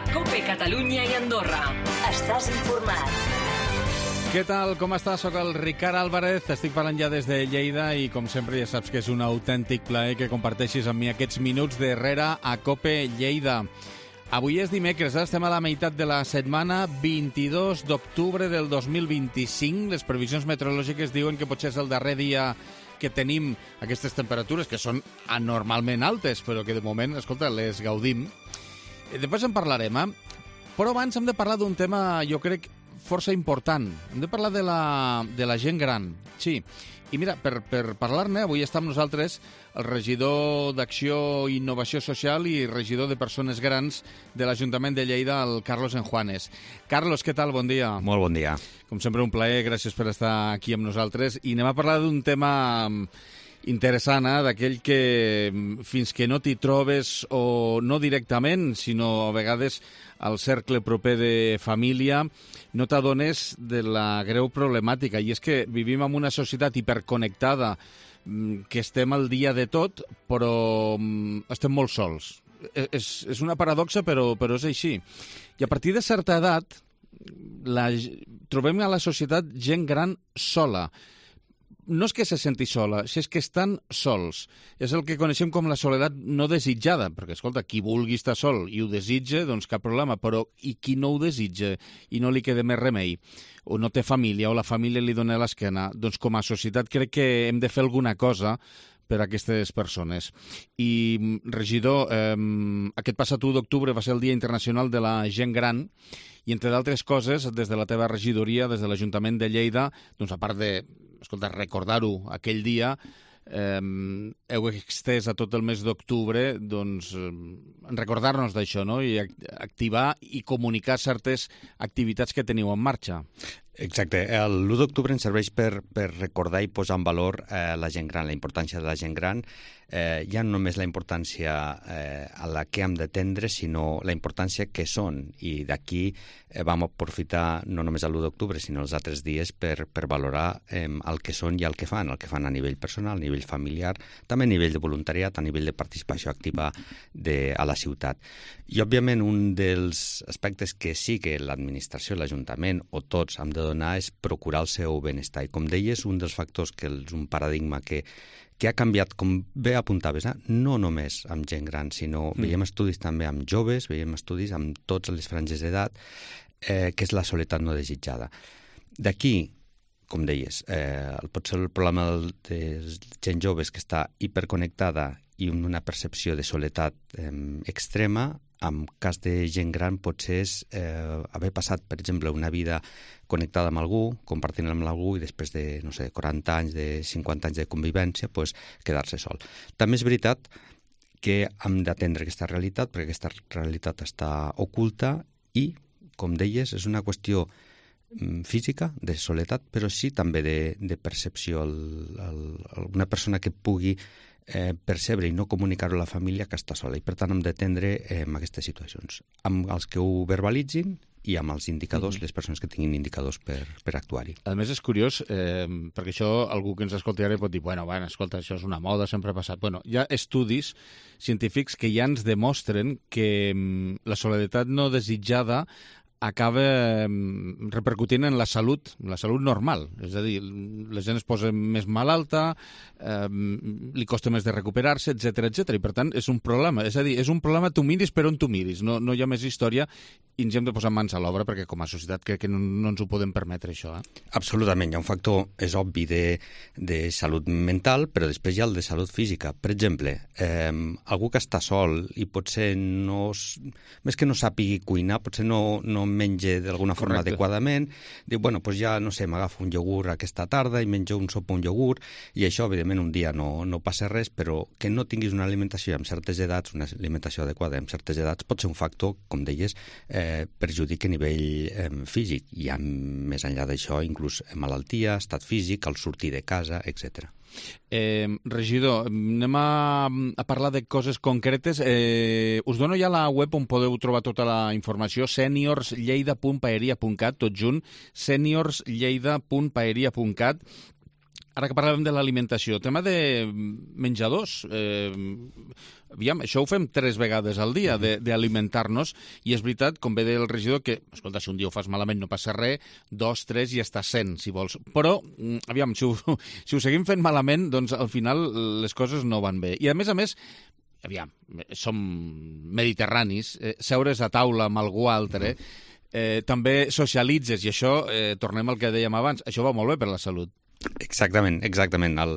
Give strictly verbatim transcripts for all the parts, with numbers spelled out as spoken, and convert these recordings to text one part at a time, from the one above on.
a COPE Catalunya i Andorra. Estàs informat. Què tal? Com estàs? Soc el Ricard Álvarez, estic parlant ja des de Lleida i com sempre ja saps que és un autèntic plaer que comparteixis amb mi aquests minuts darrere a COPE Lleida. Avui és dimecres, estem a la meitat de la setmana, vint-i-dos d'octubre del dos mil vint-i-cinc. Les previsions meteorològiques diuen que potser és el darrer dia que tenim aquestes temperatures, que són anormalment altes, però que de moment, escolta, les gaudim. Després en parlarem, eh? Però abans hem de parlar d'un tema, jo crec, força important. Hem de parlar de la, de la gent gran. Sí. I mira, per, per parlar-ne, avui està amb nosaltres el regidor d'Acció i Innovació Social i regidor de Persones Grans de l'Ajuntament de Lleida, el Carlos Enjuanes. Carlos, què tal? Bon dia. Molt bon dia. Com sempre, un plaer. Gràcies per estar aquí amb nosaltres. I anem a parlar d'un tema interessant, eh? D'aquell que fins que no t'hi trobes, o no directament, sinó a vegades al cercle proper de família, no t'adones de la greu problemàtica. I és que vivim en una societat hiperconnectada, que estem al dia de tot, però estem molt sols. És, és una paradoxa, però, però és així. I a partir de certa edat, la, trobem a la societat gent gran sola. No és que se senti sola, és que estan sols. És el que coneixem com la soledat no desitjada, perquè, escolta, qui vulgui estar sol i ho desitja, doncs cap problema, però i qui no ho desitja i no li queda més remei, o no té família, o la família li dona l'esquena, doncs com a societat crec que hem de fer alguna cosa per a aquestes persones. I, regidor, eh, aquest passat u d'octubre va ser el Dia Internacional de la Gent Gran, i entre d'altres coses, des de la teva regidoria, des de l'Ajuntament de Lleida, doncs a part de, escolta, recordar-ho aquell dia, eh, heu extès a tot el mes d'octubre, doncs, eh, recordar-nos d'això, no? I activar i comunicar certes activitats que teniu en marxa. Exacte. L'u d'octubre ens serveix per, per recordar i posar en valor eh, la gent gran, la importància de la gent gran. Eh, ja no només la importància eh, a la que hem d'atendre, sinó la importància que són. I d'aquí eh, vam aprofitar no només l'u d'octubre, sinó els altres dies per, per valorar eh, el que són i el que fan, el que fan a nivell personal, a nivell familiar, també a nivell de voluntariat, a nivell de participació activa de, a la ciutat. I, òbviament, un dels aspectes que sí que l'administració, l'Ajuntament o tots hem de donar és procurar el seu benestar. I, com deies, un dels factors que és un paradigma que que ha canviat, com bé apuntaves, eh? No només amb gent gran, sinó mm. veiem estudis també amb joves, veiem estudis amb totes les franges d'edat, eh, que és la soledat no desitjada. D'aquí, com deies, eh, potser el problema de gent joves que està hiperconnectada i amb una percepció de soledat eh, extrema, en cas de gent gran potser és eh, haver passat, per exemple, una vida connectada amb algú, compartint amb algú, i després de, no sé, quaranta anys, de cinquanta anys de convivència, pues, quedar-se sol. També és veritat que hem d'atendre aquesta realitat, perquè aquesta realitat està oculta i, com deies, és una qüestió física, de soledat, però sí també de, de percepció. El, el, una persona que pugui eh, percebre i no comunicar-ho a la família que està sola, i per tant hem d'atendre eh, en aquestes situacions, amb els que ho verbalitzin i amb els indicadors, mm. les persones que tinguin indicadors per, per actuar-hi. A més, és curiós, eh, perquè això algú que ens escolti ara pot dir, bueno, bueno, escolta, això és una moda, sempre ha passat. Bueno, hi ha estudis científics que ja ens demostren que mm, la soledat no desitjada acaba repercutint en la salut, la salut normal. És a dir, la gent es posa més malalta, eh, li costa més de recuperar-se, etcètera, etcètera. I per tant, és un problema. És a dir, és un problema, tu miris per on tu miris. No, no hi ha més història i ens hem de posar mans a l'obra perquè com a societat crec que no, no ens ho podem permetre, això. Eh? Absolutament. Hi ha un factor, és obvi, de, de salut mental, però després hi ha el de salut física. Per exemple, eh, algú que està sol i potser no... més que no sàpigui cuinar, potser no, no menja d'alguna forma Correcte. adequadament, diu, bueno, doncs ja, no sé, m'agafo un iogurt aquesta tarda i menjo un sopa un iogurt, i això, evidentment, un dia no, no passa res, però que no tinguis una alimentació amb certes edats, una alimentació adequada amb certes edats, pot ser un factor, com deies, eh, perjudic a nivell eh, físic. I ha, més enllà d'això, inclús malaltia, estat físic, el sortir de casa, etcètera. Eh, regidor, anem a, a parlar de coses concretes. Eh, us dono ja la web on podeu trobar tota la informació, seniors lleida punt paeria punt cat, tot junt, seniors lleida punt paeria punt cat. Ara que parlàvem de l'alimentació, tema de menjadors, eh, aviam, això ho fem tres vegades al dia, d'alimentar-nos, i és veritat, com bé deia el regidor, que, escolta, si un dia ho fas malament no passa res, dos, tres i hasta cent, si vols. Però, aviam, si ho, si ho seguim fent malament, doncs al final les coses no van bé. I a més a més, aviam, som mediterranis, eh, seure's a taula amb algú altre, eh, també socialitzes, i això, eh, tornem al que dèiem abans, això va molt bé per la salut. Exactament, exactament. El,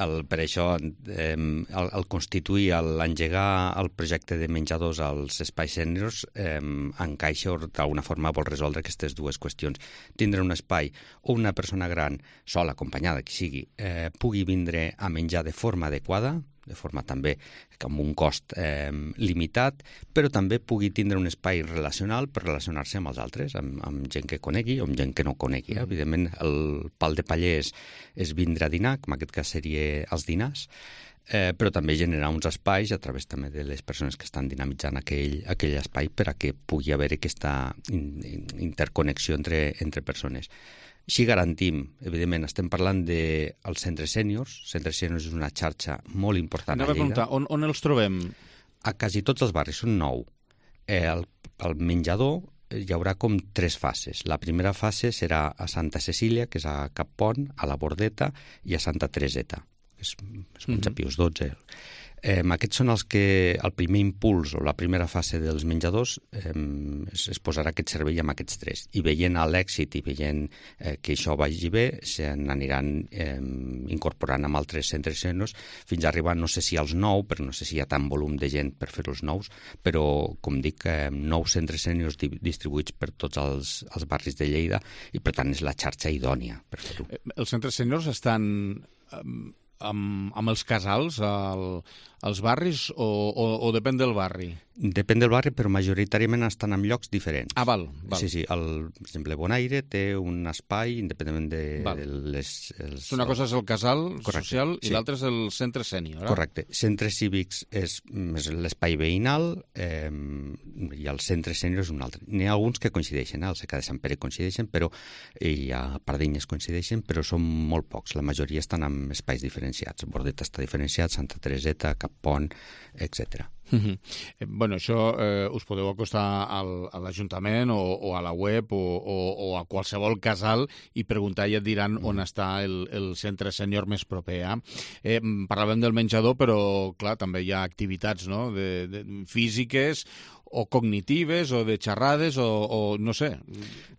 el, per això, eh, el, el constituir, l'engegar el projecte de menjadors als espais sèniors eh, encaixa o d'alguna forma vol resoldre aquestes dues qüestions. Tindre un espai o una persona gran, sola, acompanyada, qui sigui, eh, pugui vindre a menjar de forma adequada, de forma també amb un cost eh, limitat, però també pugui tindre un espai relacional per relacionar-se amb els altres, amb, amb gent que conegui o amb gent que no conegui. Eh? Evidentment, el pal de paller és, és vindre a dinar, com en aquest cas seria els dinars, eh, però també generar uns espais a través també de les persones que estan dinamitzant aquell, aquell espai per a que pugui haver aquesta in, in, interconnexió entre, entre persones. Així garantim, evidentment, estem parlant dels centres sèniors. Centres sèniors és una xarxa molt important a Lleida. On, on els trobem? A quasi tots els barris, són nou. Eh, el, el menjador hi haurà com tres fases. La primera fase serà a Santa Cecília, que és a Cap Pont, a la Bordeta, i a Santa Tereseta, que és, és Montse Pius dotze. Eh, aquests són els que, el primer impuls o la primera fase dels menjadors eh, es, es posarà aquest servei amb aquests tres. I veient l'èxit i veient eh, que això vagi bé, se n'aniran eh, incorporant amb altres centres sèniors fins a arribar, no sé si als nou, però no sé si hi ha tant volum de gent per fer-los nous, però, com dic, eh, nou centres sèniors di distribuïts per tots els, els barris de Lleida i, per tant, és la xarxa idònia per fer-ho. Els centres sèniors estan amb, amb els casals al, als barris o, o, o depèn del barri? Depèn del barri, però majoritàriament estan en llocs diferents. Ah, val. val. Sí, sí. El, per exemple, Bonaire té un espai independentment de val. les... Els, una cosa és el casal correcte, social i sí. l'altre és el centre sènior. Eh? Correcte. Centres cívics és, és l'espai veïnal eh, i el centre sènior és un altre. N'hi ha alguns que coincideixen, eh? El Secà de Sant Pere coincideixen, però i a Pardinyes coincideixen, però són molt pocs. La majoria estan en espais diferenciats. Bordeta està diferenciat, Santa Tereseta, Cap Pont, etcètera. Uh -huh. eh, bueno, això eh, us podeu acostar al, a l'Ajuntament o, o a la web o, o, o a qualsevol casal i preguntar i et diran on està el, el centre sènior més proper. Eh? Eh, parlàvem del menjador, però clar, també hi ha activitats, no? de, de, físiques o cognitives o de xerrades o, o no sé,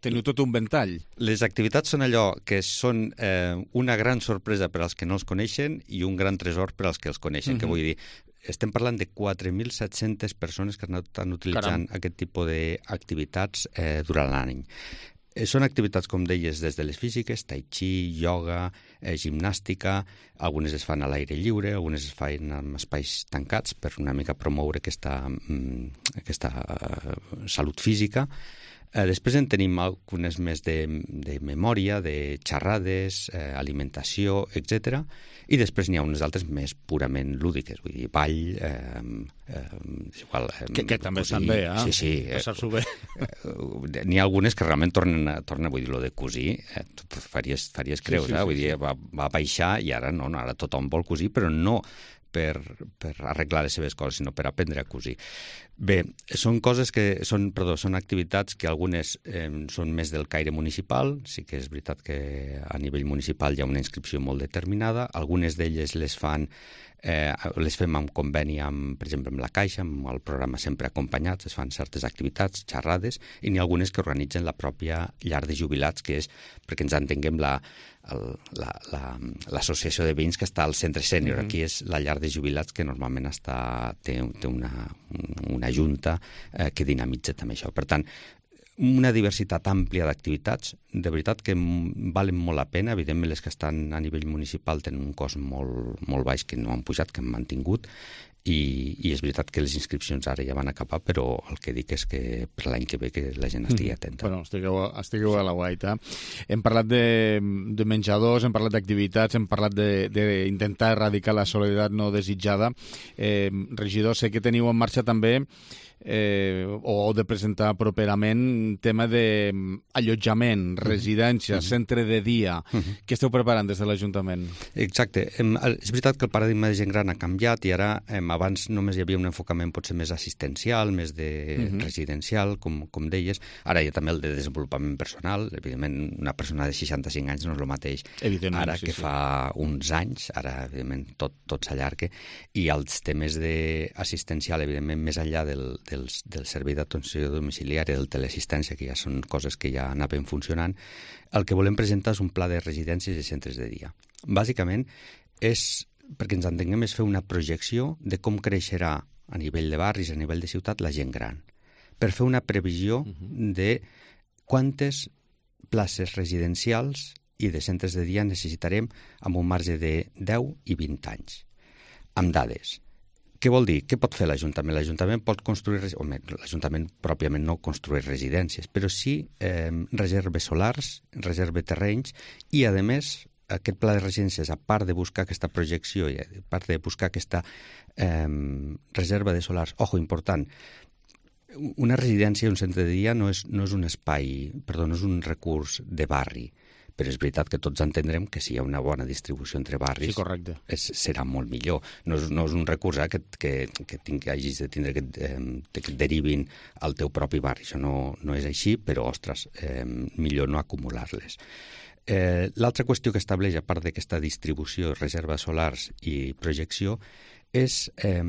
teniu tot un ventall. Les activitats són allò que són eh, una gran sorpresa per als que no els coneixen i un gran tresor per als que els coneixen, uh-huh. que vull dir, estem parlant de quatre mil set-centes persones que estan utilitzant Caram. aquest tipus d'activitats eh, durant l'any. Eh, són activitats, com deies, des de les físiques, tai chi, ioga, eh, gimnàstica, algunes es fan a l'aire lliure, algunes es fan en espais tancats per una mica promoure aquesta, mm, aquesta uh, salut física. Eh, després en tenim algunes més de, de memòria, de xerrades, eh, alimentació, etcètera. I després n'hi ha unes altres més purament lúdiques, vull dir, ball, eh, eh, igual... Eh, que, que també estan bé, eh? Sí, sí. Passar-s'ho bé. Eh, n'hi ha algunes que realment tornen, a, tornen vull dir, lo de cosir, eh, faries, faries creus, sí, sí, eh? Vull sí, dir, sí. Va, va baixar i ara no, no, ara tothom vol cosir, però no per, per arreglar les seves coses, sinó per aprendre a cosir. Bé, són coses que són, perdó, són activitats que algunes eh, són més del caire municipal, sí que és veritat que a nivell municipal hi ha una inscripció molt determinada, algunes d'elles les fan eh, les fem en conveni amb, per exemple, amb la Caixa, amb el programa Sempre Acompanyats, es fan certes activitats, xerrades, i n'hi ha algunes que organitzen la pròpia llar de jubilats, que és, perquè ens entenguem, la l'associació la, la, de veïns que està al centre sènior. Mm-hmm. Aquí és la llar de jubilats que normalment està, té, té una, una junta eh, que dinamitza també això. Per tant, una diversitat àmplia d'activitats, de veritat que valen molt la pena. Evidentment, les que estan a nivell municipal tenen un cost molt, molt baix, que no han pujat, que han mantingut, i, i és veritat que les inscripcions ara ja van acabar, però el que dic és que per l'any que ve que la gent estigui atenta. Bueno, estigueu, estigueu a la guaita. Hem parlat de, de menjadors, hem parlat d'activitats, hem parlat d'intentar erradicar la soledat no desitjada. Eh, regidor, sé que teniu en marxa també Eh, o de presentar properament tema d'allotjament, residència, uh-huh. centre de dia. Uh-huh. Què esteu preparant des de l'Ajuntament? Exacte. És veritat que el paradigma de gent gran ha canviat i ara a abans només hi havia un enfocament potser més assistencial, més de uh-huh. residencial, com, com deies. Ara hi ha també el de desenvolupament personal. Evidentment, una persona de seixanta-cinc anys no és el mateix ara sí, que sí. fa uns anys. Ara, evidentment, tot, tot s'allarga. I els temes d'assistencial, evidentment, més enllà del, del, del servei d'atenció domiciliària, del teleassistència, que ja són coses que ja anaven funcionant, el que volem presentar és un pla de residències i centres de dia. Bàsicament, és, perquè ens entenguem, és fer una projecció de com creixerà a nivell de barris, a nivell de ciutat, la gent gran, per fer una previsió uh-huh. de quantes places residencials i de centres de dia necessitarem amb un marge de deu i vint anys, amb dades. Què vol dir? Què pot fer l'Ajuntament? L'Ajuntament pot construir... Home, l'Ajuntament pròpiament no construeix residències, però sí eh, reserves solars, reserve terrenys i, a més, aquest pla de residències, a part de buscar aquesta projecció i a part de buscar aquesta eh, reserva de solars, ojo, important, una residència, un centre de dia no és, no és un espai, perdó, no és un recurs de barri, però és veritat que tots entendrem que si hi ha una bona distribució entre barris, sí, correcte. És, serà molt millor. No és, no és un recurs eh, que, que, que, tinc, que hagis de tindre que, eh, que et derivin al teu propi barri. Això no, no és així, però, ostres, eh, millor no acumular-les. Eh, L'altra qüestió que estableix, a part d'aquesta distribució, reserva solars i projecció, és eh,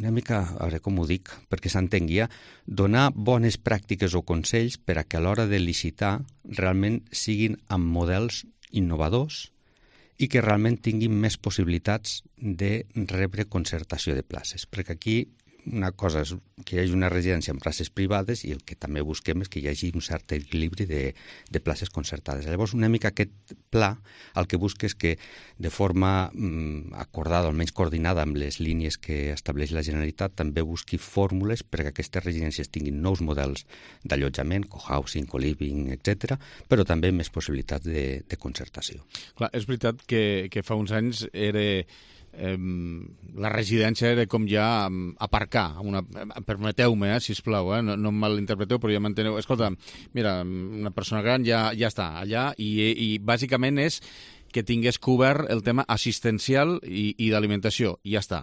una mica, a veure com ho dic, perquè s'entengui, donar bones pràctiques o consells per a que a l'hora de licitar realment siguin amb models innovadors i que realment tinguin més possibilitats de rebre concertació de places. Perquè aquí una cosa és que hi hagi una residència en places privades i el que també busquem és que hi hagi un cert equilibri de, de places concertades. Llavors, una mica aquest pla el que busca és que de forma mm, acordada, almenys coordinada amb les línies que estableix la Generalitat, també busqui fórmules perquè aquestes residències tinguin nous models d'allotjament, cohousing, co-living, etcètera, però també més possibilitats de, de concertació. Clar, és veritat que, que fa uns anys era... Eh, la residència era com ja um, aparcar, una, permeteu-me, eh, sisplau, eh, no, no em malinterpreteu, però ja m'enteneu. Escolta, mira, una persona gran ja, ja està allà i, i bàsicament és que tingués cobert el tema assistencial i, i d'alimentació, i ja està.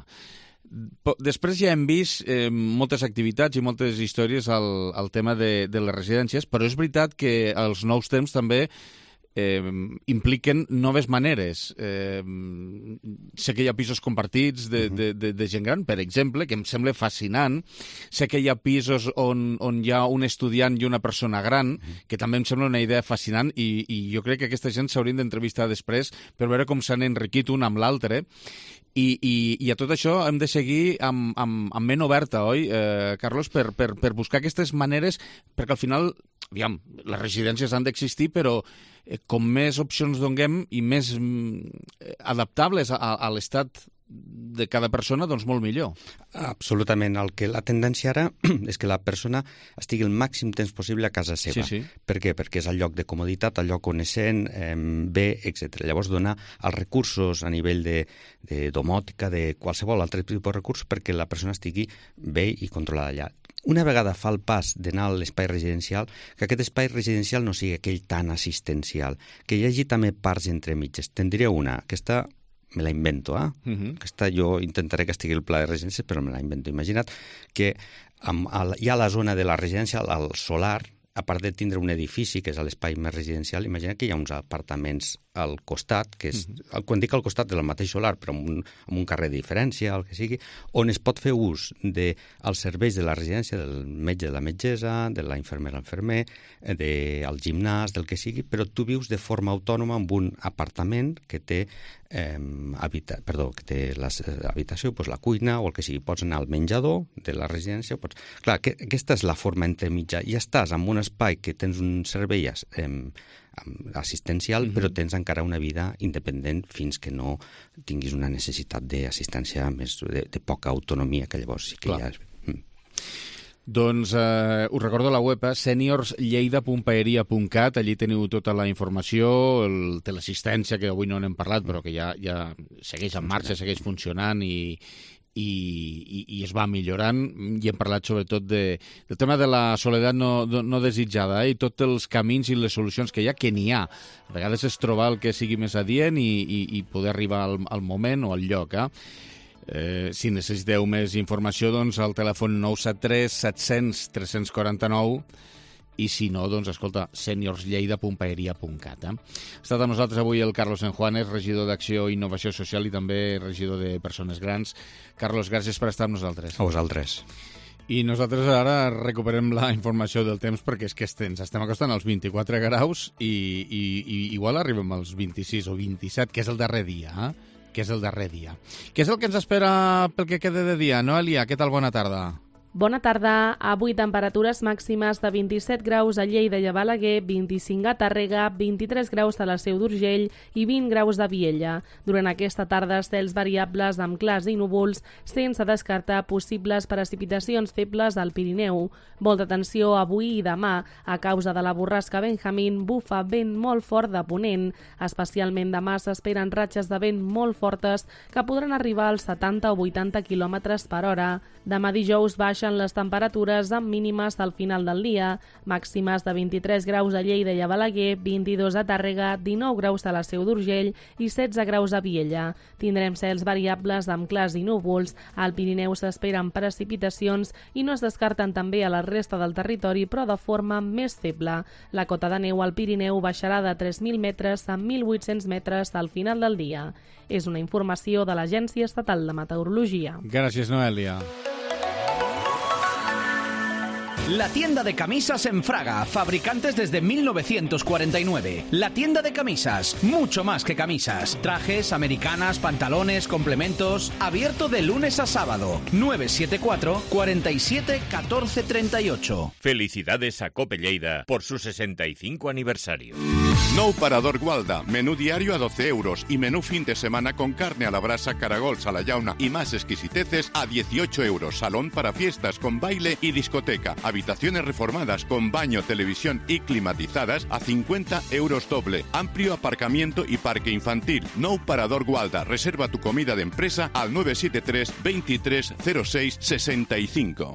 Després ja hem vist eh, moltes activitats i moltes històries al, al tema de, de les residències, però és veritat que els nous temps també Eh, impliquen noves maneres. Eh, sé que hi ha pisos compartits de, de, de, de gent gran, per exemple, que em sembla fascinant. Sé que hi ha pisos on, on hi ha un estudiant i una persona gran, que també em sembla una idea fascinant i, i jo crec que aquesta gent s'haurien d'entrevistar després per veure com s'han enriquit un amb l'altre. I, i, I a tot això hem de seguir amb, amb, amb ment oberta, oi, eh, Carlos, per, per, per buscar aquestes maneres, perquè al final, aviam, les residències han d'existir, però eh, com més opcions donem i més mm, adaptables a, a l'estat de cada persona, doncs molt millor. Absolutament. El que la tendència ara és que la persona estigui el màxim temps possible a casa seva. Sí, sí. Per què? Perquè és el lloc de comoditat, el lloc on es sent eh, bé, etcètera. Llavors, donar els recursos a nivell de, de domòtica, de qualsevol altre tipus de recurs, perquè la persona estigui bé i controlada allà. Una vegada fa el pas d'anar a l'espai residencial, que aquest espai residencial no sigui aquell tan assistencial, que hi hagi també parts entre mitges. Te'n diré una, que està me la invento, eh? Uh-huh. Aquesta jo intentaré que estigui el pla de residència, però me la invento. Imagina't que amb, al, hi ha la zona de la residència, al solar, a part de tindre un edifici, que és l'espai més residencial, imagina que hi ha uns apartaments al costat, que és, uh-huh. quan dic al costat del mateix solar, però amb un, amb un carrer de diferència, el que sigui, on es pot fer ús dels de, serveis de la residència, del metge de la metgessa, de la infermera infermer, del gimnàs, del que sigui, però tu vius de forma autònoma en un apartament que té eh, habita, perdó, que té l'habitació, doncs la cuina o el que sigui. Pots anar al menjador de la residència. Pots... Clar, que, aquesta és la forma entremitja. I estàs en un espai que tens un servei eh, assistencial, mm-hmm. però tens encara una vida independent fins que no tinguis una necessitat d'assistència més de, de poca autonomia, que llavors sí que Clar. ja és... Mm. Doncs eh, us recordo la web, eh, seniors lleida punt paeria punt cat, allí teniu tota la informació, el teleassistència, que avui no n'hem parlat, però que ja, ja segueix en marxa, segueix funcionant i, i, i, i es va millorant, i hem parlat sobretot de, del tema de la soledat no, no desitjada, eh, i tots els camins i les solucions que hi ha, que n'hi ha. A vegades és trobar el que sigui més adient i, i, i poder arribar al, al moment o al lloc, eh? Eh, si necessiteu més informació, doncs, al telèfon nou set tres set cents tres quatre nou i si no, doncs, escolta, seniors lleida punt paeria punt cat. Eh? Ha estat amb nosaltres avui el Carlos Enjuanes, regidor d'Acció i Innovació Social i també regidor de Persones Grans. Carlos, gràcies per estar amb nosaltres. A vosaltres. I nosaltres ara recuperem la informació del temps perquè és que ens estem acostant als vint-i-quatre graus i, i, i igual arribem als vint-i-sis o vint-i-set, que és el darrer dia, eh? que és el darrer dia. Què és el que ens espera pel que quede de dia? Noelia, què tal? Bona tarda. Bona tarda. Avui temperatures màximes de vint-i-set graus a Lleida i a Balaguer, vint-i-cinc a Tàrrega, vint-i-tres graus a la Seu d'Urgell i vint graus a Viella. Durant aquesta tarda, cels variables amb clars i núvols, sense descartar possibles precipitacions febles al Pirineu. Molta atenció avui i demà. A causa de la borrasca Benjamín, bufa vent molt fort de ponent. Especialment demà s'esperen ratxes de vent molt fortes que podran arribar als setanta o vuitanta quilòmetres per hora. Demà dijous baixen les temperatures amb mínimes al final del dia, màximes de vint-i-tres graus a Lleida i a Balaguer, vint-i-dos a Tàrrega, dinou graus a la Seu d'Urgell i setze graus a Viella. Tindrem cels variables amb clars i núvols. Al Pirineu s'esperen precipitacions i no es descarten també a la resta del territori, però de forma més feble. La cota de neu al Pirineu baixarà de tres mil metres a mil vuit-cents metres al final del dia. És una informació de l'Agència Estatal de Meteorologia. Gràcies, Noelia. La tienda de camisas en Fraga, fabricantes desde mil novecientos cuarenta y nueve. La tienda de camisas, mucho más que camisas. Trajes, americanas, pantalones, complementos. Abierto de lunes a sábado. nueve siete cuatro, cuarenta y siete, catorce treinta y ocho. Felicidades a Cope Lleida por su sesenta y cinco aniversario. Nou Parador Gualda, menú diario a doce euros y menú fin de semana con carne a la brasa, caragols a la llauna y más exquisiteces a dieciocho euros. Salón para fiestas con baile y discoteca. Habitaciones reformadas con baño, televisión y climatizadas a cincuenta euros doble. Amplio aparcamiento y parque infantil. Nou Parador Gualda. Reserva tu comida de empresa al nueve siete tres, veintitrés, cero seis, sesenta y cinco.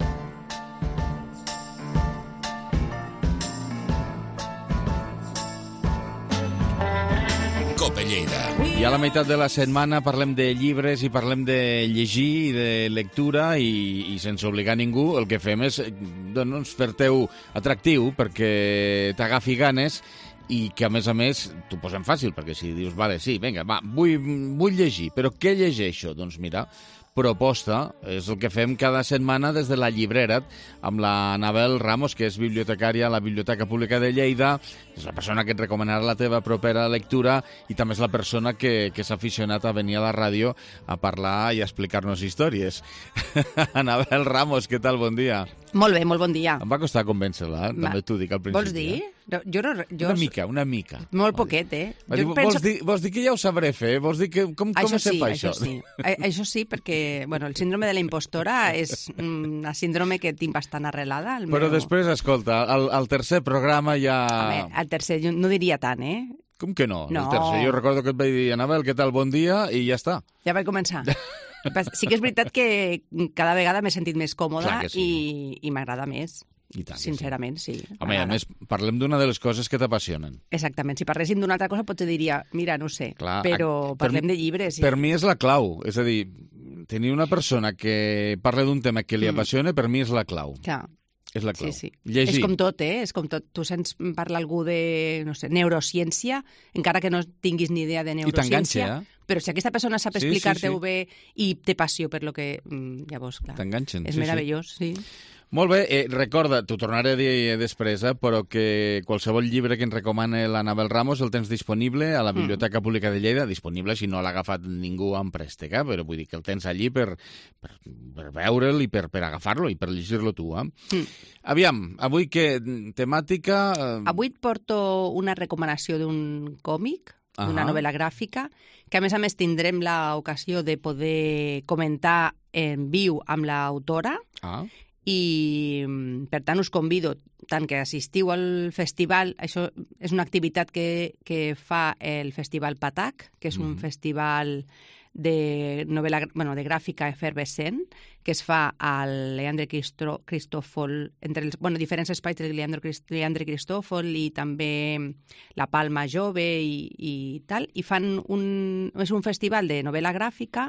I a la meitat de la setmana parlem de llibres i parlem de llegir i de lectura i, i sense obligar ningú el que fem és doncs, fer-te-ho atractiu perquè t'agafi ganes i que a més a més t'ho posem fàcil perquè si dius, vale, sí, vinga, va, vull, vull llegir, però què llegeixo? Doncs mira, proposta, és el que fem cada setmana des de la llibrera amb la Anabel Ramos, que és bibliotecària a la Biblioteca Pública de Lleida, és la persona que et recomanarà la teva propera lectura i també és la persona que, que s'ha aficionat a venir a la ràdio a parlar i a explicar-nos històries. Anabel Ramos, què tal? Bon dia. Molt bé, molt bon dia. Em va costar convèncer-la, eh? També t'ho dic al principi. Vols dir? Eh? No, jo no, jo... Una mica, una mica. Molt poquet, eh? Va dir, Jo vols, penso... dir, vols dir que ja ho sabré fer? Vols dir que... Com, com Això se sí, fa això? això? Sí. A, això sí, perquè bueno, el síndrome de la impostora és una síndrome que tinc bastant arrelada. El Però meu... després, escolta, al, al tercer programa ja... Home, al tercer jo no diria tant, eh? Com que no? No. El tercer, jo recordo que et vaig dir, Anabel, què tal, bon dia, i ja està. Ja vaig començar. Sí que és veritat que cada vegada m'he sentit més còmoda Clar que sí. i, i m'agrada més. I tant que Sincerament, sí. sí. Home, a més, parlem d'una de les coses que t'apassionen. Exactament. Si parléssim d'una altra cosa, potser diria, mira, no sé, Clar, però per parlem mi- de llibres. Per mi és la clau. És a dir, tenir una persona que parla d'un tema que li Mm. apassiona, per mi és la clau. Clar. És la clau. Sí, sí. Llegir. És com tot, eh? És com tot. Tu sents parlar algú de, no sé, neurociència, encara que no tinguis ni idea de t'enganxa, neurociència, eh? però si aquesta persona sap Sí, sí, explicar-te-ho sí. bé i té passió per lo que... mm, Llavors, clar, T'enganxen, és sí, sí. meravellós, sí. Molt bé, eh, recorda, t'ho tornaré a dir després, eh, però que qualsevol llibre que ens recomana l'Anabel Ramos el tens disponible a la Biblioteca Pública de Lleida, disponible si no l'ha agafat ningú en préstec, eh, però vull dir que el tens allí per, per, per veure'l i per, per agafar-lo i per llegir-lo tu. Eh? Mm. Aviam, avui que temàtica... Eh, Avui et porto una recomanació d'un còmic, d'una Ahà. novel·la gràfica, que a més a més tindrem l'ocasió de poder comentar en viu amb l'autora, Ah, i mm, per tant us convido tant que assistiu al festival, això és una activitat que, que fa el Festival Patac, que és un Mhm. festival de novel·la bueno, de gràfica efervescent que es fa al Leandre Cristó, Cristòfol, entre els bueno, diferents espais de Leandre, Crist, Leandre Cristòfol i també la Palma Jove i, i tal, i fan un, és un festival de novel·la gràfica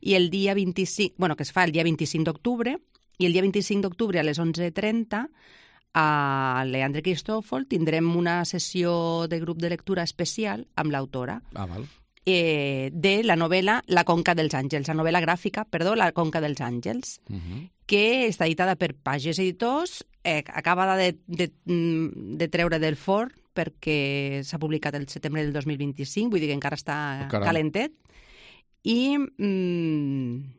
i el dia vint-i-cinc, bueno, que es fa el dia vint-i-cinc d'octubre, i el dia vint-i-cinc d'octubre a les onze trenta a Leandre Cristòfol tindrem una sessió de grup de lectura especial amb l'autora ah, val. Eh, de la novel·la La Conca dels Àngels, la novel·la gràfica, perdó, La Conca dels Àngels, uh -huh. que està editada per Pages Editors, eh, acabada de, de, de treure del forn perquè s'ha publicat el setembre del dos mil vint-i-cinc, vull dir que encara està oh, calentet. I... Mm,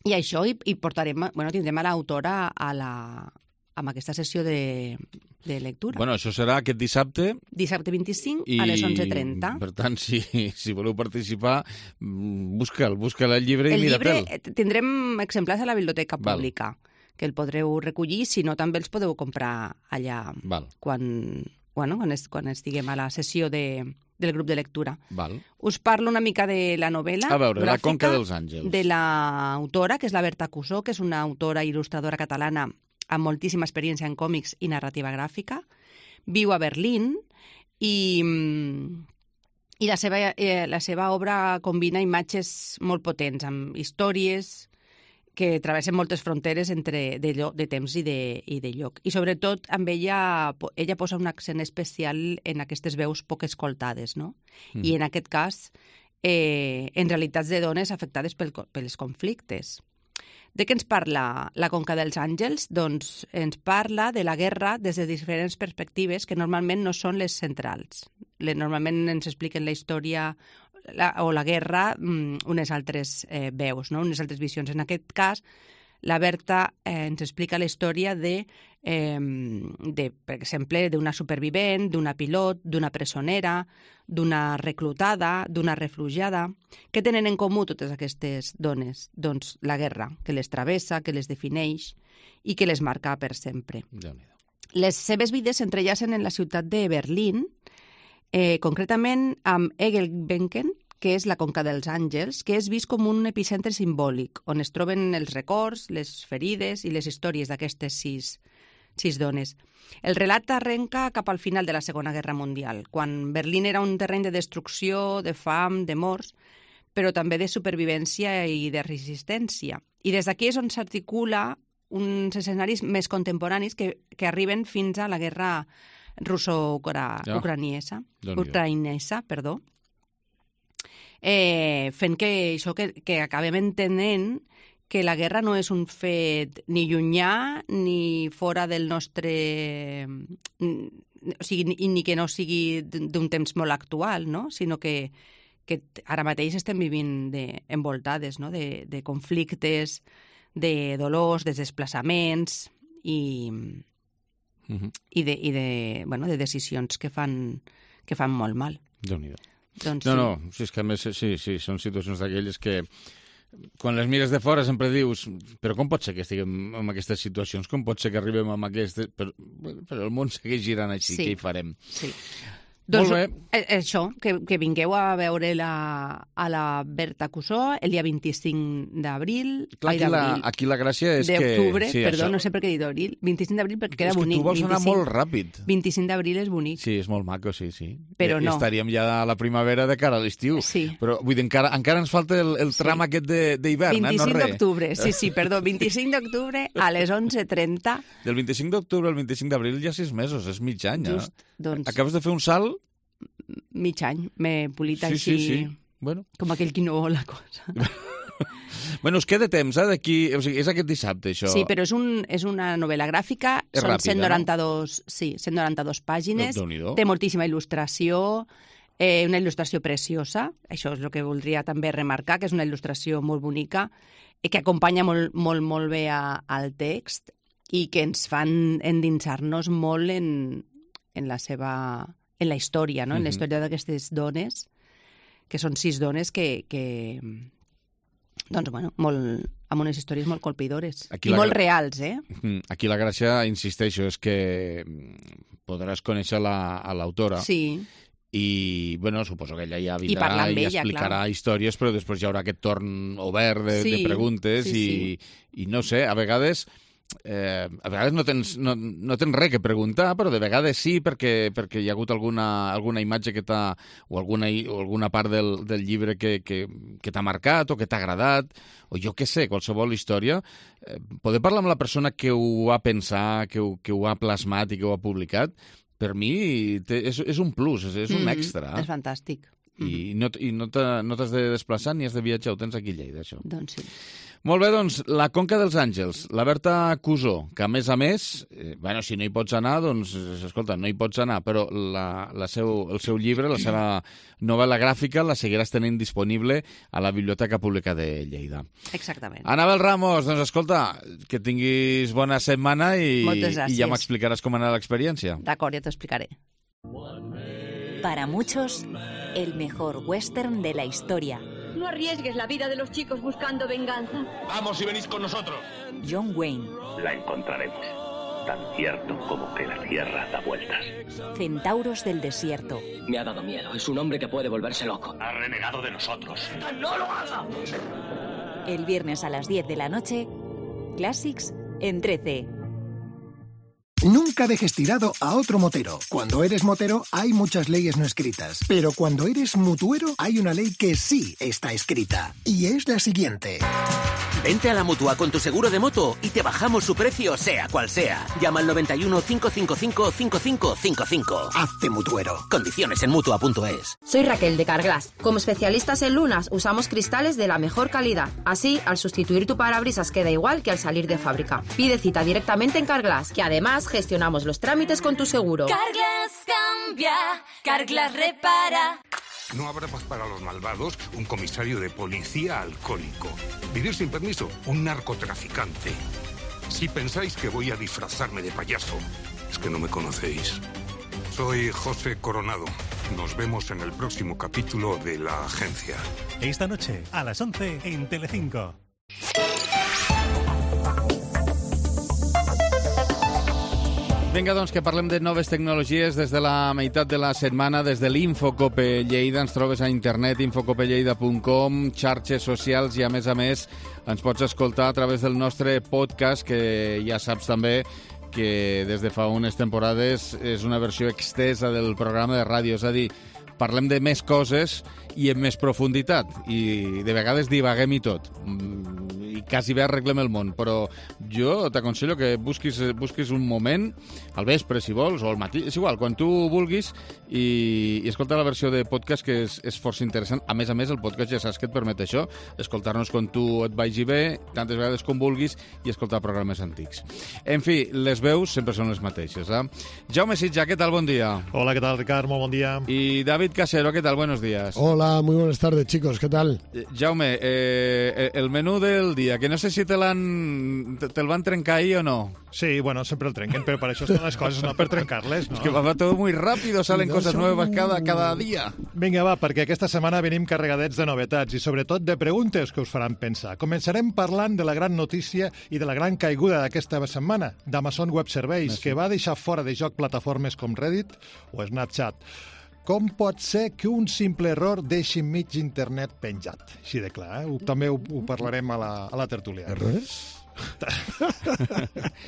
I això, i, i portarem, bueno, tindrem a l'autora a la, amb aquesta sessió de, de lectura. Bueno, això serà aquest dissabte. Dissabte vint-i-cinc i, a les onze trenta. Per tant, si, si voleu participar, busca'l, busca el llibre el i mira-te'l. El llibre tindrem exemplars a la biblioteca pública, Val. que el podreu recollir, si no també els podeu comprar allà Val. quan, bueno, quan, es, quan estiguem a la sessió de... del grup de lectura. Val. Us parlo una mica de la novel·la A veure, La Conca dels gràfica Àngels. de l'autora, que és la Berta Cusó, que és una autora i il·lustradora catalana amb moltíssima experiència en còmics i narrativa gràfica. Viu a Berlín i, i la, seva, eh, la seva obra combina imatges molt potents, amb històries que travessen moltes fronteres entre de, lloc, de temps i de, i de lloc. I sobretot amb ella, ella posa un accent especial en aquestes veus poc escoltades, no? Mm. I en aquest cas, eh, en realitats de dones afectades pel, pels conflictes. De què ens parla La Conca dels Àngels? Doncs ens parla de la guerra des de diferents perspectives que normalment no són les centrals. Normalment ens expliquen la història la, o la guerra unes altres eh, veus, no? Unes altres visions. En aquest cas, la Berta eh, ens explica la història de, eh, de per exemple, d'una supervivent, d'una pilot, d'una presonera, d'una reclutada, d'una refugiada. Què tenen en comú totes aquestes dones? Doncs la guerra, que les travessa, que les defineix i que les marca per sempre. Les seves vides s'entrellacen en la ciutat de Berlín, eh, concretament amb Engelbenken, que és la Conca dels Àngels, que és vist com un epicentre simbòlic, on es troben els records, les ferides i les històries d'aquestes sis, sis dones. El relat arrenca cap al final de la Segona Guerra Mundial, quan Berlín era un terreny de destrucció, de fam, de morts, però també de supervivència i de resistència. I des d'aquí és on s'articula uns escenaris més contemporanis que, que arriben fins a la guerra russo-ucraniesa, ja. ucraïnesa, perdó, eh, fent que això que, que acabem entenent que la guerra no és un fet ni llunyà ni fora del nostre... O sigui, ni, ni que no sigui d'un temps molt actual, no? Sinó que, que ara mateix estem vivint de, envoltades, no? de, de conflictes, de dolors, de desplaçaments i, uh-huh. i, de, i de, bueno, de decisions que fan, que fan molt mal. Déu-n'hi-do. Doncs no, sí. no, sí, és que a més sí, sí, són situacions d'aquelles que quan les mires de fora sempre dius però com pot ser que estiguem en aquestes situacions? Com pot ser que arribem a aquestes... Però, però el món segueix girant així, sí. Què hi farem? Sí. Doncs això, que, que vingueu a veure la, a la Berta Cusó el dia vint-i-cinc d'abril. Clar, aquí, la, aquí la gràcia és que... D'octubre, sí, perdó, això... no sé per què he dit d'abril. vint-i-cinc d'abril perquè queda és bonic. És que tu vols anar vint-i-cinc, molt ràpid. vint-i-cinc d'abril és bonic. Sí, és molt maco, sí, sí. Però I, no. I estaríem ja a la primavera de cara a l'estiu. Sí. Però vull dir, encara, encara ens falta el, el tram sí. aquest d'hivern, eh? No vint-i-cinc res. d'octubre, sí, sí, perdó. vint-i-cinc d'octubre a les onze trenta. Del vint-i-cinc d'octubre al vint-i-cinc d'abril ja sis mesos, és mig any. Just, eh? doncs... Acabes de fer un salt... mig any, m'he polit sí, així, sí, sí. Bueno. Com aquell qui no vol la cosa. Bueno, es queda temps, eh, d'aquí... O sigui, és aquest dissabte, això. Sí, però és, un, és una novel·la gràfica, és són ràpida, cent noranta-dos, no? Sí, cent noranta-dos pàgines, no, té moltíssima il·lustració, eh, una il·lustració preciosa, això és el que voldria també remarcar, que és una il·lustració molt bonica, eh, que acompanya molt, molt, molt bé a, al text i que ens fan endinsar-nos molt en, en la seva... en la història, no? En la història d'aquestes dones, que són sis dones que, que doncs, bueno, molt, amb unes històries molt colpidores. Aquí I molt gra... reals, eh? Aquí la gràcia, insisteixo, és que podràs conèixer la, a l'autora sí. i, bueno, suposo que ella ja I vindrà parlar amb i ella, explicarà clar. històries, però després hi haurà aquest torn obert de, Sí, de preguntes sí, i, i no sé, a vegades... Eh, a vegades no tens, no, no tens res que preguntar, però de vegades sí, perquè, perquè hi ha hagut alguna, alguna imatge que t'ha, o alguna, o alguna part del, del llibre que, que, que t'ha marcat o que t'ha agradat, o jo què sé, qualsevol història. Eh, poder parlar amb la persona que ho va pensar, que ho, que ho ha plasmat i que ho ha publicat, per mi té, és, és un plus, és, és un extra. Mm, és fantàstic. I no, i no t'has no de desplaçar ni has de viatjar, ho tens aquí a Lleida, això. Doncs sí. Molt bé, doncs, la Conca dels Àngels, la Berta Cusó, que a més a més, eh, bueno, si no hi pots anar, doncs, escolta, no hi pots anar, però la, la seu, el seu llibre, la seva novel·la gràfica, la seguiràs tenint disponible a la Biblioteca Pública de Lleida. Exactament. Anabel Ramos, doncs escolta, que tinguis bona setmana i, Moltes gràcies. i ja m'explicaràs com anar l'experiència. D'acord, ja t'ho explicaré. Para muchos, el mejor western de la historia. No arriesgues la vida de los chicos buscando venganza. Vamos y venís con nosotros. John Wayne. La encontraremos, tan cierto como que la Tierra da vueltas. Centauros del desierto. Me ha dado miedo. Es un hombre que puede volverse loco. Ha renegado de nosotros. ¡No lo haga! El viernes a las diez de la noche, Classics en trece. Nunca dejes tirado a otro motero. Cuando eres motero hay muchas leyes no escritas, pero cuando eres mutuero hay una ley que sí está escrita, y es la siguiente. Vente a la Mutua con tu seguro de moto y te bajamos su precio sea cual sea. Llama al noventa y uno, cinco cinco cinco, cinco cinco cinco cinco. Hazte mutuero. Condiciones en mutua punto es. Soy Raquel de Carglass. Como especialistas en lunas usamos cristales de la mejor calidad. Así, al sustituir tu parabrisas queda igual que al salir de fábrica. Pide cita directamente en Carglass, que además gestionamos los trámites con tu seguro. Carglass cambia, Carglass repara. No habrá paz para los malvados, un comisario de policía alcohólico. Vivir sin permiso, un narcotraficante. Si pensáis que voy a disfrazarme de payaso, es que no me conocéis. Soy José Coronado. Nos vemos en el próximo capítulo de La Agencia. Esta noche, a las once, en Telecinco. Vinga, doncs, que parlem de noves tecnologies des de la meitat de la setmana, des de l'Infocope Lleida. Ens trobes a internet, infocope lleida punt com, xarxes socials i, a més a més, ens pots escoltar a través del nostre podcast, que ja saps també que des de fa unes temporades és una versió extesa del programa de ràdio. És a dir, parlem de més coses i en més profunditat. I de vegades divaguem i tot. I quasi bé arreglem el món, però jo t'aconsello que busquis, busquis un moment, al vespre, si vols, o al matí, és igual, quan tu vulguis, i, i escolta la versió de podcast, que és, és força interessant. A més a més, el podcast ja saps que et permet això, escoltar-nos quan tu et vagi bé, tantes vegades com vulguis, i escoltar programes antics. En fi, les veus sempre són les mateixes. Eh? Jaume Sitja, què tal? Bon dia. Hola, ¿qué tal, Ricard? Muy buen día. Y David Casero, ¿qué tal? Buenos días. Hola, muy buenas tardes, chicos. ¿Qué tal? Eh, Jaume, eh, el menú del día, que no sé si te l'han te, te el van trencar ahí o no. Sí, bueno, siempre el trenquen, pero para eso están las cosas, no per trencar-les, no? Es que va todo muy rápido, salen no cosas nuevas cada, cada dia. Vinga, va, perquè aquesta setmana venim carregadets de novetats i sobretot de preguntes que us faran pensar. Començarem parlant de la gran notícia i de la gran caiguda d'aquesta setmana, d'Amazon Web Services, que va deixar fora de joc plataformes com Reddit o Snapchat. Com pot ser que un simple error deixi mig internet penjat? Així de clar, eh? També ho, ho parlarem a la, a la tertúlia. Errors?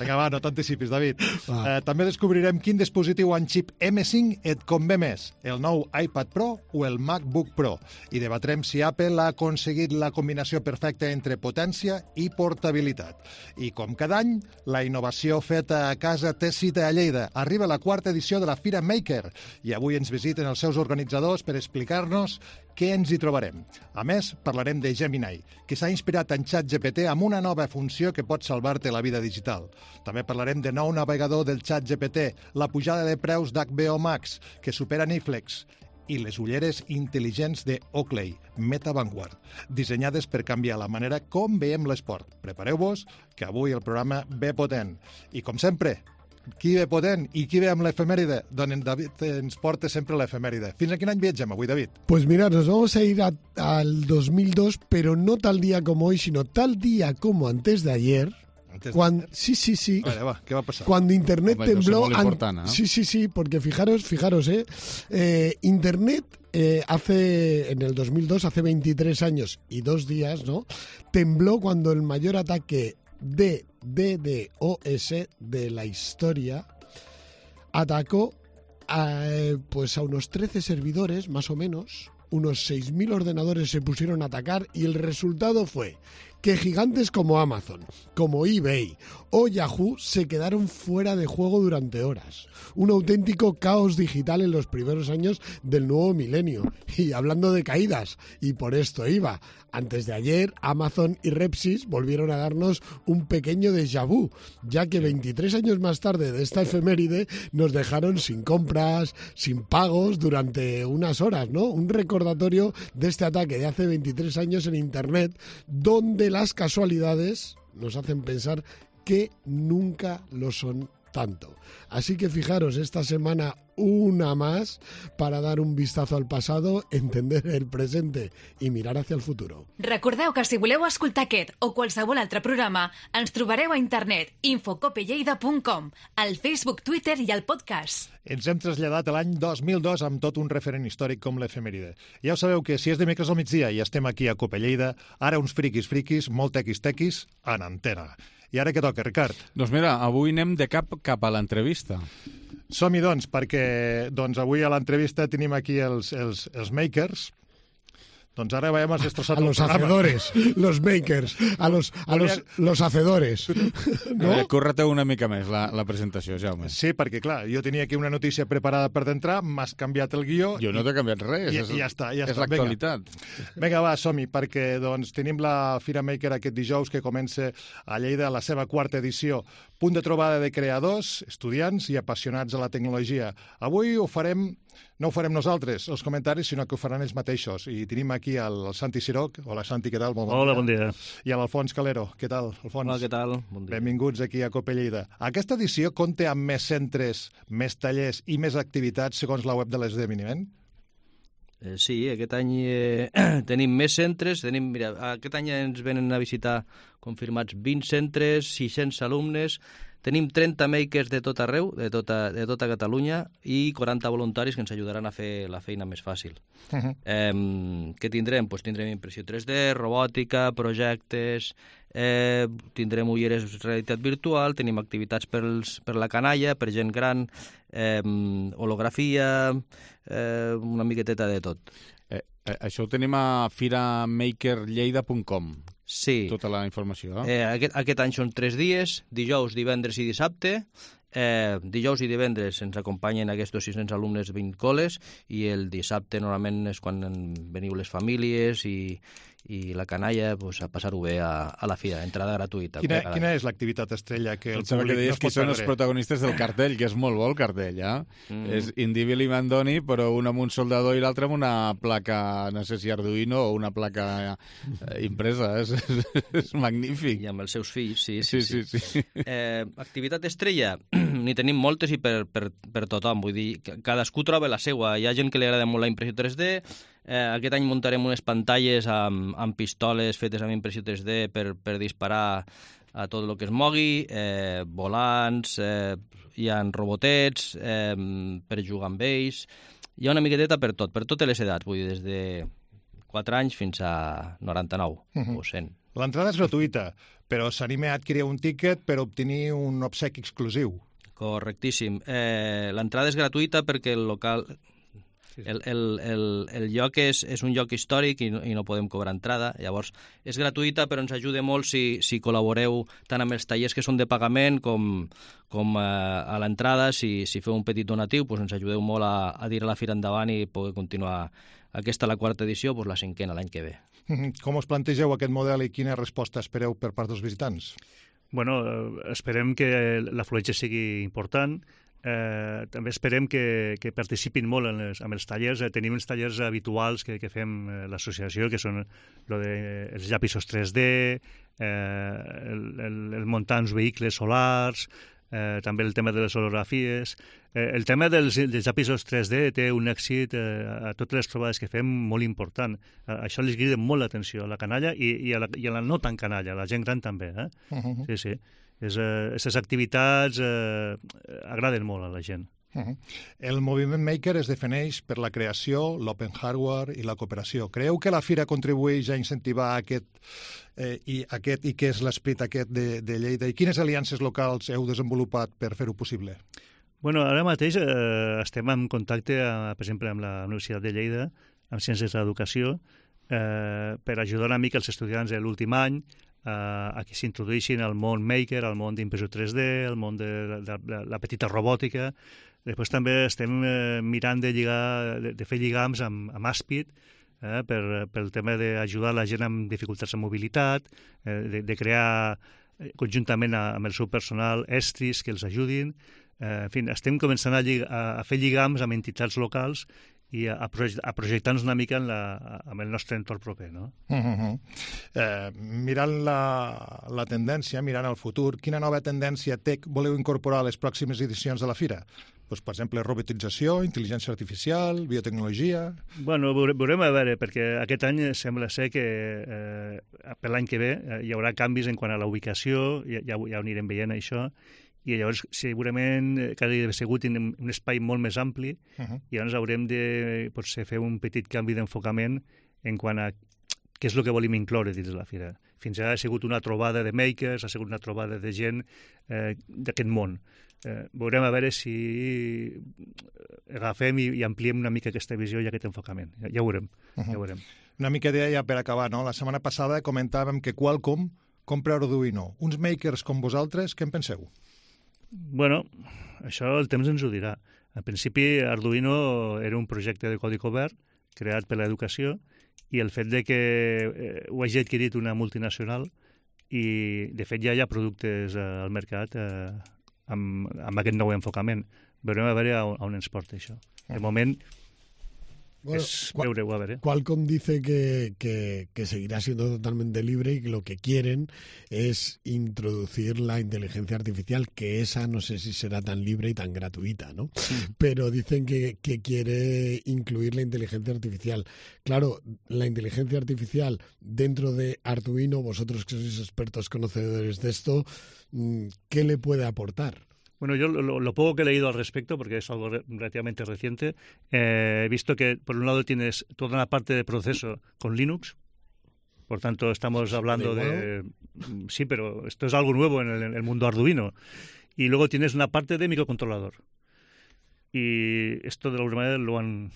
Vinga, va, no t'anticipis, David. Eh, també descobrirem quin dispositiu amb xip eme cinc et convé més, el nou iPad Pro o el MacBook Pro. I debatrem si Apple ha aconseguit la combinació perfecta entre potència i portabilitat. I com cada any, la innovació feta a casa té cita a Lleida. Arriba la quarta edició de la Fira Maker i avui ens visiten els seus organitzadors per explicar-nos què ens hi trobarem. A més, parlarem de Gemini, que s'ha inspirat en ChatGPT amb una nova funció que pot salvar-te la vida digital. També parlarem de nou navegador del ChatGPT, la pujada de preus d'H B O Max, que supera Netflix, i les ulleres intel·ligents de Oakley, Meta Vanguard, dissenyades per canviar la manera com veiem l'esport. Prepareu-vos, que avui el programa ve potent. I com sempre, qui ve potent i qui ve amb l'efemèride? Doncs en David ens porta sempre l'efemèride. Fins a quin any viatgem avui, David? Pues mirad, nos vamos a ir a, al dos mil dos, pero no tal día como hoy, sino tal día como antes de ayer, Cuando, sí, sí, sí. Vale, va, ¿qué va a pasar? Cuando Internet Hombre, tembló... no importan, ¿no? Sí, sí, sí, porque fijaros, fijaros, ¿eh? eh Internet eh, hace, en el dos mil dos, hace veintitrés años y dos días, ¿no? Tembló cuando el mayor ataque de DDoS de la historia atacó a, pues a unos trece servidores, más o menos. Unos seis mil ordenadores se pusieron a atacar y el resultado fue que gigantes como Amazon, como eBay o Yahoo se quedaron fuera de juego durante horas. Un auténtico caos digital en los primeros años del nuevo milenio. Y hablando de caídas, y por esto iba, antes de ayer Amazon y Repsys volvieron a darnos un pequeño déjà vu, ya que veintitrés años más tarde de esta efeméride nos dejaron sin compras, sin pagos durante unas horas, ¿no? Un recordatorio de este ataque de hace veintitrés años en Internet, donde las casualidades nos hacen pensar que nunca lo son tanto. Así que fijaros, esta semana una más para dar un vistazo al pasado, entender el presente i mirar hacia el futuro. Recordeu que si voleu escoltar aquest o qualsevol altre programa, ens trobareu a internet infocopelleida punt com, al Facebook, Twitter i al podcast. Ens hem traslladat a l'any dos mil dos amb tot un referent històric com l'efemèride. Ja ho sabeu que si és dimecres al migdia i estem aquí a Copelleida, ara uns friquis friquis, molt tequis tequis, en antena. I ara què toca, Ricard? Doncs mira, avui anem de cap cap a l'entrevista. Som-hi, doncs, perquè doncs, avui a l'entrevista tenim aquí els, els, els makers. Doncs ara veiem els destrossat a los hacedores, los makers, a los, a los, los hacedores. No? A veure, curra-te una mica més la, la presentació, Jaume. Sí, perquè clar, jo tenia aquí una notícia preparada per d'entrar, m'has canviat el guió... Jo no t'he canviat res, i, és, i ja està, ja és està. l'actualitat. Vinga. Vinga, va, som-hi, perquè doncs, tenim la Fira Maker aquest dijous que comença a Lleida la seva quarta edició. Punt de trobada de creadors, estudiants i apassionats a la tecnologia. Avui ho farem... No ho farem nosaltres, els comentaris, sinó que ho faran ells mateixos. I tenim aquí el Santi Siroc. Hola, Santi, què tal? Bon Hola, bon dia. I l'Alfons Calero. Què tal, Alfons? Hola, què tal? Bon dia. Benvinguts aquí a Copelleida. Aquesta edició compta amb més centres, més tallers i més activitats segons la web de l'esdeveniment? Eh, sí, aquest any eh, tenim més centres. Tenim, mira, aquest any ens venen a visitar confirmats vint centres, sis-cents alumnes. Tenim trenta makers de tot arreu, de tota, de tota Catalunya, i quaranta voluntaris que ens ajudaran a fer la feina més fàcil. Uh -huh. eh, què tindrem? Pues tindrem impressió tres D, robòtica, projectes, eh, tindrem ulleres de realitat virtual, tenim activitats pels, per la canalla, per gent gran, eh, holografia, eh, una miqueteta de tot. Eh, eh, això ho tenim a fira maker lleida punt com. Sí. Tota la informació. Eh? Eh, aquest, aquest any són tres dies, dijous, divendres i dissabte. Eh, dijous i divendres ens acompanyen aquests sis-cents alumnes vint coles i el dissabte normalment és quan veniu les famílies i, i la canalla pues, a passar-ho bé a, a la fira, entrada gratuïta. Quina, quina és l'activitat estrella que el Pensava públic que deies no es pot que són perdre? els protagonistes del cartell, que és molt bo el cartell, eh? Mm. És Indivil i Mandoni, però un amb un soldador i l'altre amb una placa, no sé si Arduino o una placa eh, impresa. És, és, és magnífic. I amb els seus fills, sí, sí, sí. sí, sí. Eh, activitat estrella, n'hi tenim moltes i per, per, per tothom, vull dir, cadascú troba la seua. Hi ha gent que li agrada molt la impressió tres D, eh, aquest any muntarem unes pantalles amb, amb pistoles fetes amb impressió tres D per, per disparar a tot el que es mogui, eh, volants, eh, hi ha robotets eh, per jugar amb ells, hi ha una miqueteta per tot, per totes les edats, vull dir, des de quatre anys fins a noranta-nou uh-huh. o cent. L'entrada és gratuïta, però s'anima a adquirir un tíquet per obtenir un obsequi exclusiu. Correctíssim. Eh, l'entrada és gratuïta perquè el local... El, el, el, el lloc és, és un lloc històric i no, i no podem cobrar entrada. Llavors, és gratuïta, però ens ajuda molt si, si col·laboreu tant amb els tallers que són de pagament com, com a, a l'entrada. Si, si feu un petit donatiu, doncs ens ajudeu molt a, a tirar la fira endavant i poder continuar aquesta la quarta edició, doncs la cinquena l'any que ve. Com us plantegeu aquest model i quina resposta espereu per part dels visitants? Bueno, esperem que l'afluència sigui important. Eh, també esperem que, que participin molt en les, amb els tallers. Eh, tenim els tallers habituals que, que fem eh, l'associació, que són lo de, els llapisos tres D, eh, el, el, el muntar uns vehicles solars, eh, també el tema de les holografies. Eh, el tema dels, dels llapisos tres D té un èxit eh, a totes les trobades que fem molt important. A, això li crida molt l'atenció a la canalla i, i, a la, i a la no tan canalla, a la gent gran també. Eh? Uh-huh. Sí, sí. Aquestes activitats eh, agraden molt a la gent. Uh-huh. El moviment maker es defineix per la creació, l'open hardware i la cooperació. Creu que la Fira contribueix a incentivar aquest, eh, i, aquest, i què és l'esperit aquest de, de Lleida? I quines aliances locals heu desenvolupat per fer-ho possible? Bueno, ara mateix eh, estem en contacte, eh, per exemple, amb la Universitat de Lleida, amb Ciències de l'Educació, eh, per ajudar una mica els estudiants de l'últim any eh, a que s'introduïssin al món maker, al món d'impressió tres D, al món de, de, de la petita robòtica. Després també estem eh, mirant de, lligar, de, de fer lligams amb, amb Aspid, eh, per, pel tema d'ajudar la gent amb dificultats de mobilitat, eh, de, de crear conjuntament amb el seu personal estris que els ajudin. Eh, en fi, estem començant a, llig a, a fer lligams amb entitats locals i a, a, proje a projectar-nos una mica en la, amb el nostre entorn proper, no? Uh -huh. eh, mirant la, la tendència, mirant el futur, quina nova tendència tech voleu incorporar a les pròximes edicions de la Fira? Pues, per exemple, robotització, intel·ligència artificial, biotecnologia... Bueno, veurem a veure, perquè aquest any sembla ser que eh, per l'any que ve eh, hi haurà canvis en quant a la ubicació, ja, ja, ja ho anirem veient això, i llavors segurament que ha sigut un, un espai molt més ampli, uh-huh. i llavors haurem de potser fer un petit canvi d'enfocament en quant a què és el que volim incloure dins de la Fira. Fins ara ha sigut una trobada de makers, ha sigut una trobada de gent eh, d'aquest món. Eh, veurem a veure si agafem i, i ampliem una mica aquesta visió i aquest enfocament. Ja, ja ho veurem. Uh-huh. Ja ho veurem. Una mica d'idea ja per acabar, no? La setmana passada comentàvem que Qualcomm compra Arduino. Uns makers com vosaltres, què en penseu? Bueno, això el temps ens ho dirà. En principi, Arduino era un projecte de codi obert creat per l'educació i el fet de que eh, ho hagi adquirit una multinacional i, de fet, ja hi ha productes eh, al mercat eh, amb, amb aquest nou enfocament. Veurem a veure a on, a on ens porta això. De moment, bueno, es veure-ho a veure. Qualcomm dice que, que, que seguirá siendo totalmente libre y que lo que quieren es introducir la inteligencia artificial, que esa no sé si será tan libre y tan gratuita, ¿no? Sí. Pero dicen que, que quiere incluir la inteligencia artificial. Claro, la inteligencia artificial dentro de Arduino, vosotros que sois expertos conocedores de esto, ¿qué le puede aportar? Bueno, yo lo, lo poco que he leído al respecto, porque es algo re relativamente reciente, eh, he visto que por un lado tienes toda una parte de proceso con Linux, por tanto estamos hablando de... Sí, pero esto es algo nuevo en el, en el mundo Arduino. Y luego tienes una parte de microcontrolador. Y esto de alguna manera lo han,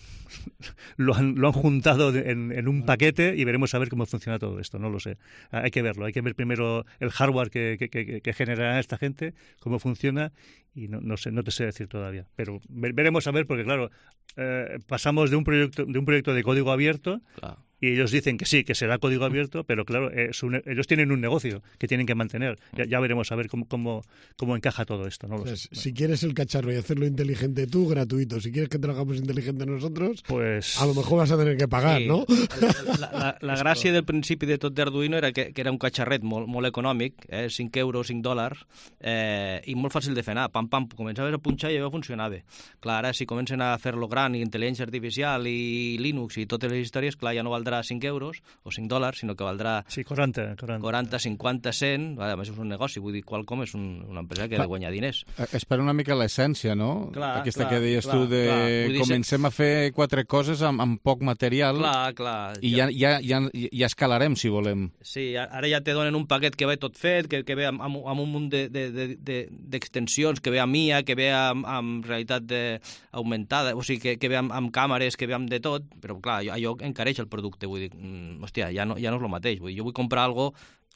lo han, lo han juntado en, en un paquete y veremos a ver cómo funciona todo esto, no lo sé. Hay que verlo, hay que ver primero el hardware que, que, que, que generará esta gente, cómo funciona, y no, no sé, no te sé decir todavía. Pero veremos a ver, porque claro, eh, pasamos de un proyecto de un proyecto de código abierto, claro. Y ellos dicen que sí, que será código abierto, pero claro, es un, ellos tienen un negocio que tienen que mantener. Ya, ya veremos a ver cómo, cómo, cómo encaja todo esto. ¿No? Pues, si quieres el cacharro y hacerlo inteligente tú, gratuito. Si quieres que trabajamos inteligente nosotros, pues a lo mejor vas a tener que pagar, sí. ¿no? La, la, la gràcia del principi de tot d'Arduino era que, que era un catxarret molt, molt econòmic, eh, cinc euros, cinc dòlars, eh, i molt fàcil de fer anar. Pam, pam, començaves a punxar i ja funcionava. Clar, ara si comencen a fer-lo gran i intel·ligència artificial i Linux i totes les històries, clar, ja no valdrà cinc euros o cinc dòlars, sinó que valdrà sí, quaranta, quaranta. quaranta, cinquanta, cent, a més és un negoci, vull dir, Qualcomm és un, una empresa que ha de guanyar diners. És per una mica l'essència, no? Clar, aquesta clar, que deies clar, tu de clar. comencem a fer quatre coses amb, amb poc material clar, clar, i ja, ja, ja, ja escalarem, si volem. Sí, ara ja te donen un paquet que ve tot fet, que, que ve amb, amb, amb un munt d'extensions, de, de, de, que ve amb I A, que ve amb, amb realitat de, augmentada, o sigui, que, que ve amb, amb càmeres, que ve amb de tot, però clar, allò encareix el producte, vull dir, hòstia, ja no, ja no és el mateix. Vull dir, jo vull comprar algo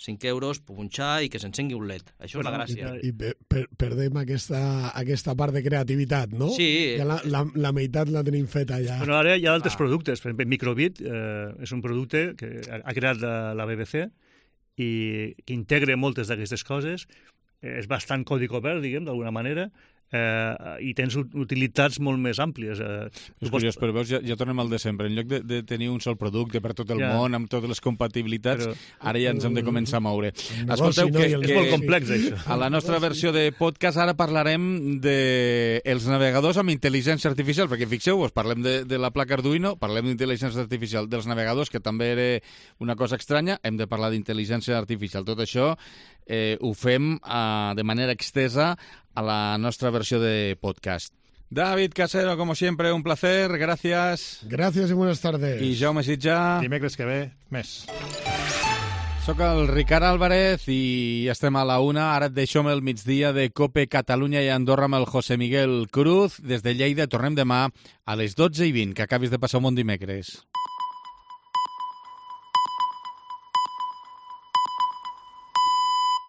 cinc euros, punxar i que s'encengui un led. Això bueno, és la gràcia. I, i per, perdem aquesta, aquesta part de creativitat, no? Sí. Ja la, la, la meitat la tenim feta ja. Bueno, ara hi ha altres ah. productes. Per exemple, Microbit eh, és un producte que ha creat la, la B B C i que integra moltes d'aquestes coses. Eh, és bastant codi obert, diguem, d'alguna manera. eh, i tens utilitats molt més àmplies. Eh, és curiós, però veus, ja, ja tornem al de sempre. En lloc de, de tenir un sol producte per tot el ja. món, amb totes les compatibilitats, però... ara ja ens hem de començar a moure. Escolteu, no, que, que, és molt complex, això. A la nostra versió de podcast ara parlarem de els navegadors amb intel·ligència artificial, perquè fixeu-vos, parlem de, de la placa Arduino, parlem d'intel·ligència artificial dels navegadors, que també era una cosa estranya, hem de parlar d'intel·ligència artificial. Tot això eh, ho fem eh, de manera extesa a la nostra versió de podcast. David Casero, como siempre, un placer, gracias. Gracias y buenas tardes. I Jaume Sitjà. Dimecres que ve, més. Soc el Ricard Álvarez i estem a la una. Ara et deixo amb el migdia de COPE Catalunya i Andorra amb el José Miguel Cruz. Des de Lleida tornem demà a les dotze i vint. Que acabis de passar un bon dimecres.